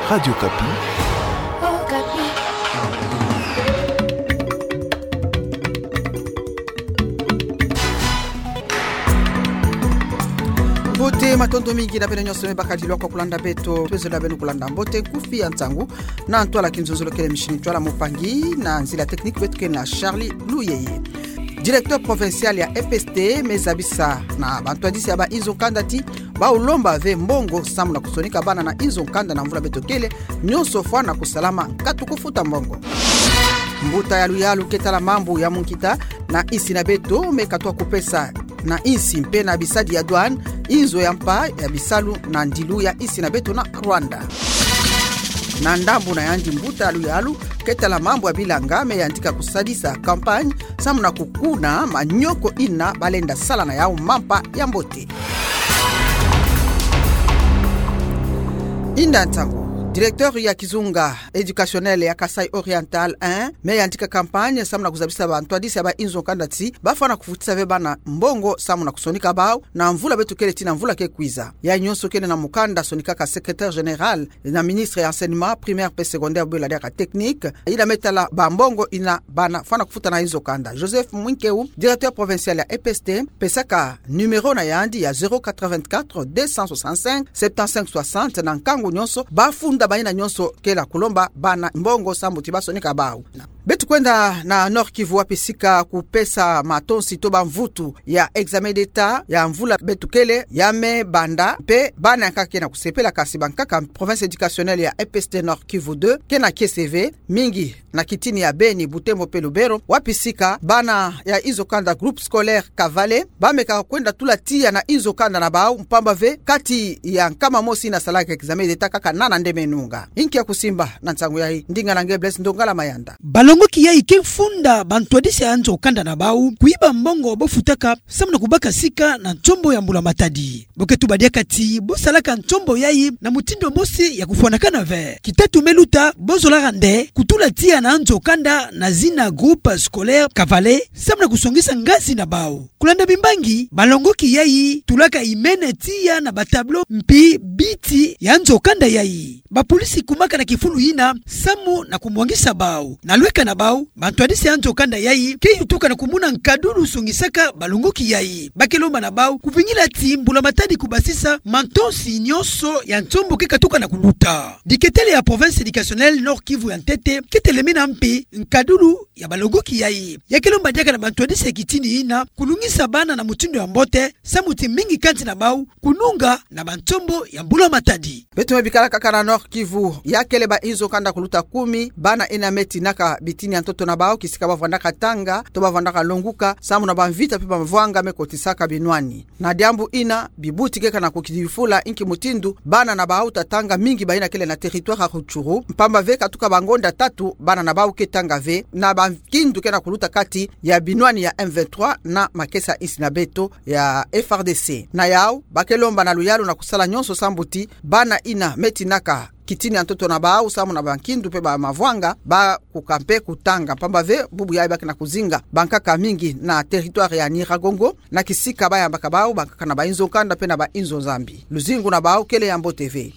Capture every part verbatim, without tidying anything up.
Radio Okapi. Mbote, matondo mingi na beno nyonso me bakadilu kwa kulanda beto. Twezola beno kulanda mbote nkufi ya nsangu na ntwala kinzonzolo kele mishini ntwala, mopangi na nzila technique beto kele na Charlie Luyeye. Directeur provincial ya E P S T me zabisa na bantwadisi ya ba inzo kanda ti ba lomba ve mbongo samu na kusonika bana na inzo kanda na mvula beto kele, nyonso fwana kusalama, nkatu kufuta mbongo. Mbuta ya luyalu ke tala mambu ya munkita na insi na beto me katuka kupesa na insi mpe na bisadi ya douane inzo ya mpa ya bisalu na ndilu ya insi na beto na Rwanda. Na ndambu na yandi, mbuta ya luyalu ke tala mambu ya bilanga me yantika kusadisa campagne samu na kukuna manyoko ina balenda sala na yau mampa ya mbote. Inda nsangu, directeur ya kizunga éducationnel ya Kasaï Oriental un me yantika campagne samu na kuzabisa bantwadisi ya ba inzo kanda ti bafwana kufutisa ve bana mbongo samu na kusonika bau na mvula beto kele ti na mvula ke kwiza. Ya nyonso kele na mukanda sonikaka secrétaire général na ministre ya enseignement primaire mpe secondaire, bwe la diaka technique, ina me tala ba mbongo ina bana fwana kufuta na inzo kanda. Joseph Mwinkeu, directeur provincial ya E P S T, pesaka numéro na yandi ya zéro quatre-vingt-quatre, deux cent soixante-cinq, septante-cinq soixante, na nkangu nyonso bafunda baina nyonso kele kulomba bana mbongo samu ti basonika bau. Beto kwenda na Nord-Kivu, wapi sika kupesa matonsi to ba mvutu ya examen d'État ya mvula beto kele ya me banda, mpe bana ya nkaka ke na kusepela, kasi bankaka province éducationnelle ya E P S T Nord-Kivu deux ke na kiese ve mingi na kitini ya Beni, Butembo mpe Lubero, wapi sika bana ya inzo kanda groupe scolaire Kavale bameka kwenda tula tiya na inzo kanda na bau, mpamba ve kati ya nkama mosi ina salaka examen d'État, kaka nana nde me nunga. Inki ya kusimba na nsangu yayi? Ndinga na nge Blaise Ndongala Mayanda. Balongoki yayi ke funda bantwadisi ya nzo kanda na bau kuyiba mbongo bafutaka samu na kubaka sika na nsombo ya mbula matadi. Bo ke tuba diaka ti bo salaka nsombo yayi na mutindu mosi ya kufwanakana ve. Kitatu me luta, bo zolaka nde kutula tiya na nzo kanda na zina groupe scolaire Kavale samu na kusongisa ngazi na bau. Kulanda bimbangi, balongoki yayi tulaka imene tiya na ba tableau mpi biti ya nzo kanda yayi. Bapolisi kumaka na kifulu ina samu na kumwangisa bau. Na lweka na bau, bantwadisi ya nzo kanda yayi ke yutuka na kumona nkadulu songisaka balongoki yayi. Ba ke lomba na bau kuvingila ti mbula matadi kubasisa matonsi nyonso ya nsombo ke katuka na kuluta. Diketele ya province éducationnelle Nord-Kivu ya ntete ke telemena mpi nkadulu ya balongoki yayi. Ya ke lomba diaka na bantwadisi ya kitini ina kulungisa bana na mutindu ya mbote samu ti mingi kati na bau kununga na bansombo ya mbula matadi. Beto me bikala kaka na Nord-Kivu, ya kele ba inzo kanda kuluta kumi, bana ina me tinaka bitini ya ntoto na bau kisika bavwandaka tanga to bavwandaka longuka samu na bamvita mpe bamavwanga me kotisaka binwani. Na diambu ina, bibuti keka na kukidifula inki mutindu bana na bau ta tanga mingi baina kele na territoire ya Rutshuru, mpamba ve katuka bangonda tatu bana na bau ke tanga ve, na bankindu ke na kuluta kati ya binwani ya M vingt-trois na makesa insi na beto ya F R D C. Na yau, ba ke lomba na luyalu na kusala nyonso sambu ti bana ina me tinaka kitini ya ntoto na bau samu na bankindu mpe bamavwanga, ba kuka mpe kutanga, mpamba ve bubu yayi ba ke na kuzinga bankaka mingi na territoire ya Nyiragongo, na kisika bayambaka bau bankaka na ba inzo kanda mpe na ba inzo Nzambi. Luzingu na bau kele ya mbote ve.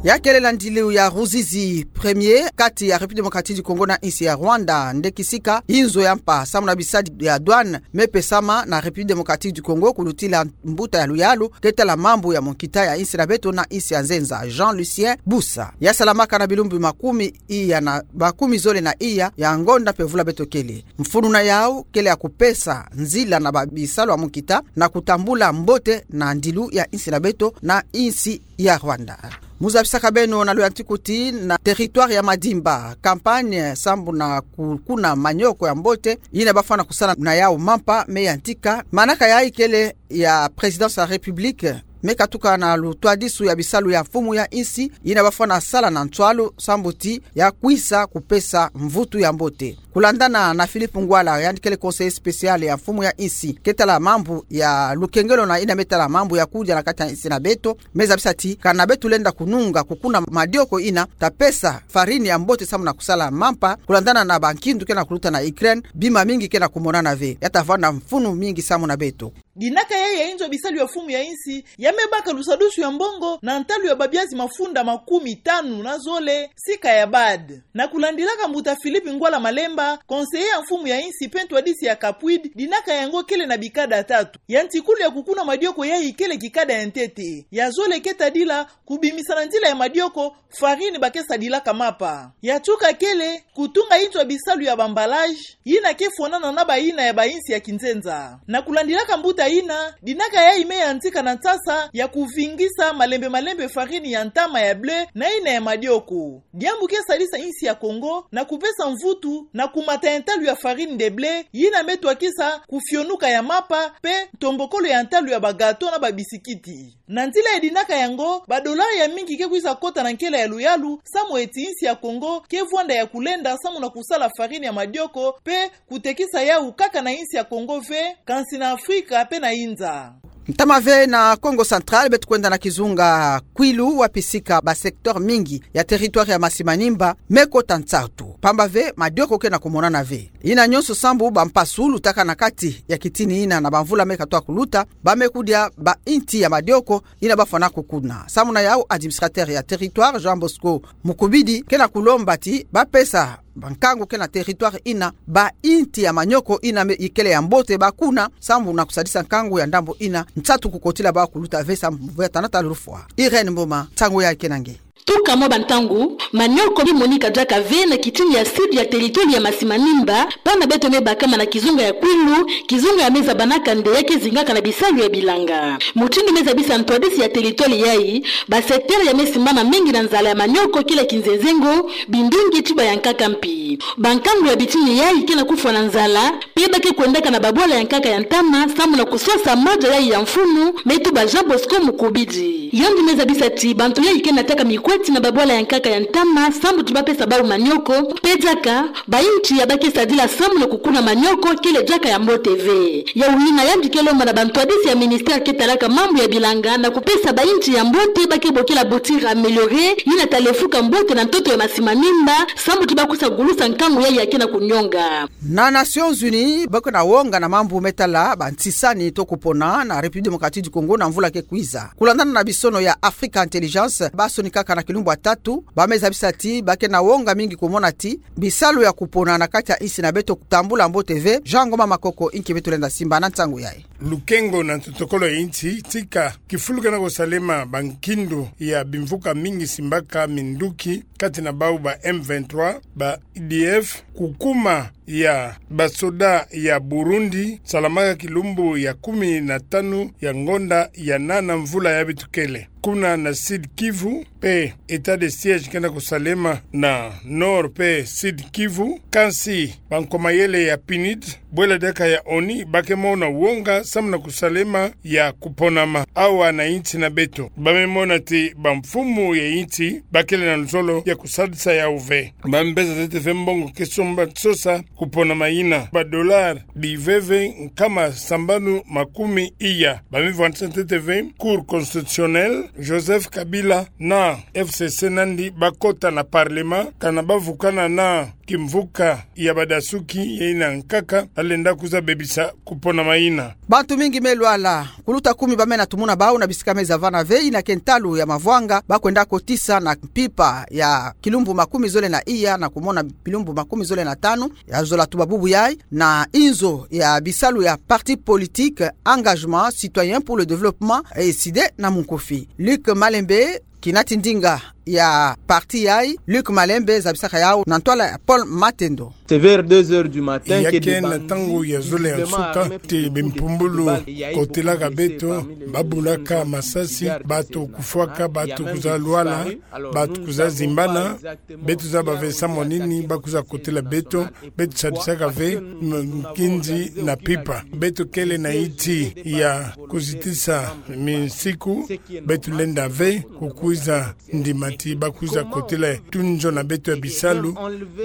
Ya kele na ndilu ya Ruzizi premier, kati ya République Démocratique du Congo na insi ya Rwanda, nde kisika inzo ya mpa samu na bisadi ya douane me pesama na République Démocratique du Congo kulutila mbuta ya luyalu ke tala mambu ya munkita ya insi na beto na insi ya nzenza, Jean Lucien Busa. Ya salamaka na bilumbu makumi iya na makumi zole na iya ya ngonda mpe vula beto kele. Mfunu na yau kele ya kupesa nzila na babisalu ya munkita na kutambula mbote na ndilu ya insi na beto na insi ya Rwanda. Mu zabisaka beno na luyantiku ti na territoire ya Madimba, campagne sambu na kukuna manyoko ya mbote ina bafwana kusala na yau mampa me yantika. Manaka yayi kele ya Présidence ya République me katuka na lutwadisu ya bisalu ya mfumu ya insi ina bafwana sala na nswalu sambu ti ya kwisa kupesa mvutu ya mbote. Kulandana na Philippe Ngwala, yandi kele conseiller spécial ya mfumu ya insi ke tala mambu ya lukengelo na ina me tala mambu ya kudia na kati ya insi na beto, me zabisa ti kana beto lenda kununga kukuna madioko ina ta pesa farine ya mbote samu na kusala mampa, kulandana na bankindu ke na kuluta na Ukraine, bima mingi ke na kumonana ve. Ya ta vwanda mfunu mingi samu na beto. Dinaka yayi ya inzo bisalu ya mfumu ya insi, ya me baka lusadusu ya mbongo na ntalu ya babiazi mafunda makumi tanu na zole, sika ya bade. Na kulandilaka mbuta Philippe Ngwala Malemba, conseiller ya mfumu ya insi mpe ntwadisi ya CAPWID, dinaka yango kele na bikada tatu. Ya ntikulu ya kukuna madioko yayi kele kikada ya ntete. Ya zole ke tadila kubimisa na nzila ya madioko farine ba ke sadilaka mapa. Ya tuka kele kutunga inzo ya bisalu ya ba emballage, yina ke fwanana na bayina ya ba insi ya kinzenza. Na kulandilaka mbuta yina, dinaka yayi me yantika na nsasa ya kuvingisa malembe malembe farine ya ntama ya blé na yina ya madioko. Diambu ke sadisa insi ya Kongo na kupesa mvutu na kumata ya ntalu ya farine de blé, yina me twakisa kufionuka ya mapa, mpe ntombokolo ya ntalu ya ba gâteau na ba bisikiti. Na nzila ya dinaka yango, ba dollar ya mingi ke kwiza kota na nkela ya luyalu, samu eti insi ya Kongo ke vwanda ya kulenda samu na kusala farine ya madioko, mpe kutekisa yawu kaka na insi ya Kongo ve, kansi na Afrika mpe na inza. Ntama ve na Kongo Central, beto kwenda na kizunga Kwilu, wapi sika ba secteur mingi ya territoire ya Masi-Manimba me kota nsatu. Pamba ve madioko ke na kumonana ve. Yina nyonso sambu ba mpasu lutaka na kati ya kitini yina na ba mvula me katoa kuluta, ba me kudia ba inti ya madioko yina ba fwana kukuna. Samu na yawu, administrateur ya territoire, Jean Bosco Mukubidi, ke na kulomba ti ba pesa ba nkangu ke na territoire yina ba inti ya manioko yina me ikele ya mbote ba kuna, samu na kusadisa nkangu ya ndambu yina nsatu kukotila ba kuluta ve samu ve tana ta lufwa. Irène Mboma, nsangu yayi ke na nge. Tuka mwa ba ntangu, manioko bimonika diaka ve na kitini ya sud ya territoire ya Masi-Manimba, pamba beto me bakama na kizunga ya Kwilu, kizunga ya me zabanaka nde ya ke zingaka na bisalu ya bilanga. Mutindu me zabisa ntwadisi ya territoire yayi, ba secteur ya me simbana mingi na nzala ya manioko kele kinzenzengo, bindungi, tuba ya nkaka mpi. Ba nkangu ya bitini yayi ke na kufwa na nzala, mpe ba ke kwendaka na ba bwala ya nkaka ya ntama, samu na kuswasa madia yayi ya mfunu, me tuba Jean Bosco Mukubidi. Yandi me zabisa ti bantu yayi ke nataka mikweti na ba bwala ya nkaka ya ntama, samu ti ba pesa bawu manioko, mpe diaka, ba inti ya ba ke sadila samu na kukuna manioko kele diaka ya mbote ve. Yawu yina yandi ke lomba na ba ntwadisi ya ministère ke talaka mambu ya bilanga na kupesa ba inti ya mbote ba ke bokila bouture améliorée, yina ta lefuka mbote na ntoto ya Masi-Manimba, samu ti ba kwiza gulusa nkangu yayi ya ke na kunionga. Na Nations Unies, ba ke na wonga na mambu me tala ba ntisani to kupona na République Démocratique du Congo na mvula ke kwiza. Kulandana na bisono ya Africa Intelligence, ba sonikaka na kilumbu ya tatu, ba me zabisa ti ba ke na wonga mingi kumona ti bisalu ya kupona na kati ya insi na beto kutambula mbote ve. Jean Ngoma Makoko inki beto lenda simba na nsangu yayi. Lukengo na ntotokolo ya insi, tika kifulu ke na kusalema ba nkindu ya bimvuka mingi simbaka minduki, kati na bawu ba M vingt-trois, ba E D F, kukuma ya ba soda ya Burundi, salamaka kilumbu ya kumi na tanu ya ngonda ya nana mvula yayi beto kele. Kuna na Sud Kivu, mpe état de siège ke na kusalema na Nord mpe Sud Kivu, kansi ba nko-mayele ya PNUD, bwela diaka ya ONU, ba ke mona wonga samu na kusalema ya kuponama awa na insi na beto. Ba me mona ti ba mfumu ya insi ba kele na luzolo ya kusadisa yawu ve. Ba me beza ntete ve mbongo ke somba sosa kuponama yina. Ba dollar biveve nkama sambanu makumi iya. Ba me vwandisa ntete ve Cour constitutionnelle, Joseph Kabila na F C C nandi ba kota na Parlement, kana ba vukana na kimvuka ya badasuki, yina nkaka alenda kwiza bebisa kuponama yina. Bantu mingi me lwala. Kuluta kumi ba mena tumuna bawu na bisika me zavana ve, yina ke ntalu ya mavwanga ba kwenda kotisa na mpimpa ya kilumbu makumi zole na iya na kumona bilumbu makumi zole na tanu ya zola tuba bubu yayi, na inzo ya bisalu ya parti politique Engagement Citoyen pour le Développement, ECD na munkufi. Luc Malembe, kinati ndinga ya parti yayi, Luc Malembe, zabisaka yawu na ntwala ya Paul Matendo. C'est vers deux heures du matin que des bandits, visiblement armés pour se protéger, ont décidé de tirer sur les policiers. Ya ke na ntangu ya zole ya nsuka, ti bimpumbulu kotelaka beto, ba bulaka masasi, bantu kufwaka, bantu kwiza lwala, bantu kwiza zimbana. Beto zaba ve samu nini ba kwiza kotela beto. Beto sadisaka ve m-, nkinzi na mpimpa. Beto kele na inti ya kuzitisa minsiku. Beto lenda ve kukwiza ndima ti ba kwiza kotela tuni zo na beto ya bisalu.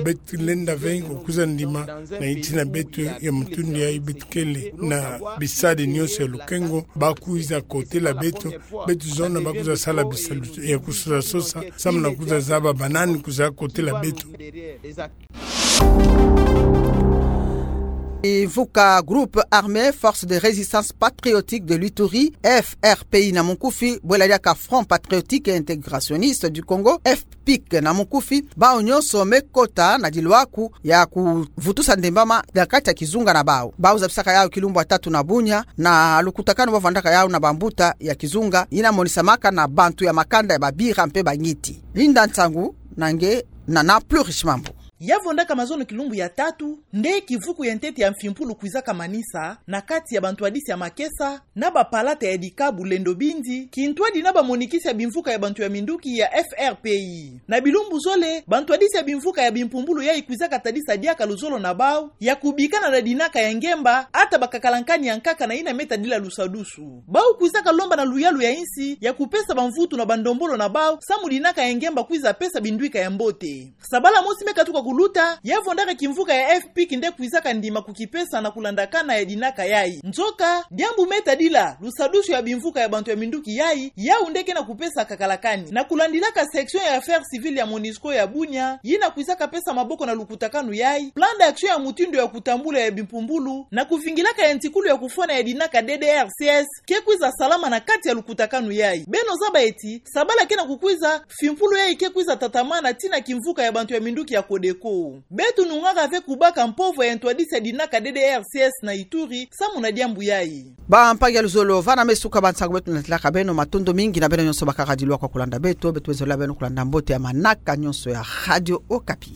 Beto lenda ve kukwiza ndima na inti na beto ya mutindu yayi. Beto kele na bisadi nyonso ya lukengo, ba kwiza kotela beto. Beto zona ba kwiza sala bisalu ya kusosa sosa, samu na kwiza zaba banani kwiza kotela beto. Kimvuka Groupe Armé Force de Résistance Patriotique de l'Ituri, F R P I na munkufi, bwela diaka Front Patriotique et Intégrationiste du Congo, F P I C na munkufi, bau nyonso me kota na dilwaku ya kuvutusa ndembama na kati ya kizunga na bau. Bau zabisaka yau kilumbu ya tatu na bunya na lukutakanu bavwandaka yau na bambuta ya kizunga, yina monisamaka na bantu ya makanda ya babira mpe bangiti. Linda Nsangu na nge na na Plurish Mambu. Ya vwandaka mazono kilumbu ya tatu, nde kivuku ya ntete ya mfimpulu kwizaka manisa na kati ya bantwadisi ya makesa na bapalata ya dikabu lendo bindi, kintwadi na bamonikisi ya bimvuka ya bantu ya minduki ya F R P I. Na bilumbu zole, bantwadisi ya bimvuka ya bimpumbulu yayi kwizaka tadisa diaka luzolo na bau ya kubikana na dinaka ya ngemba, ata bakakalankani ya nkaka na yina me tadila lusadusu. Bau kwizaka lomba na luyalu ya insi ya kupesa bamvutu na bandombolo na bau, samu dinaka ya ngemba kwiza pesa bindwika ya mbote. Sabala mosi me katuka kuluta, ya vwandaka kimvuka ya F P I C nde kwizaka ndima kukipesa na kulandakana ya dinaka yayi. Nzoka, diambu me tadila lusadusu ya bimvuka ya bantu ya minduki yayi, yau nde ke na kupesa kakalakani. Na kulandilaka section ya affaires civiles ya MONUSCO ya bunya, yina kwizaka pesa maboko na lukutakanu yayi, plan d'action ya mutindu ya kutambula ya bimpumbulu, na kuvingilaka ya ntikulu ya kufwana ya dinaka D D R C S, ke kwiza salama na kati ya lukutakanu yayi. Beno zaba eti, sabala ke na kukwiza, mfimpulu yayi ke kwiza tatamana tii na kimvuka ya bantu ya minduki ya Codeco. Beto nungaka ve kubaka mpovwa ya ntwadisi ya dinaka D D R C S na Ituri, samu na diambu yayi. Bampangi ya luzolo, vana me suka bansangu beto natalaka beno, matondo mingi na beno nyonso bakaka dilwa kwa kulanda beto, beto bezola beno kulanda mbote ya manaka nyonso ya Radio Okapi.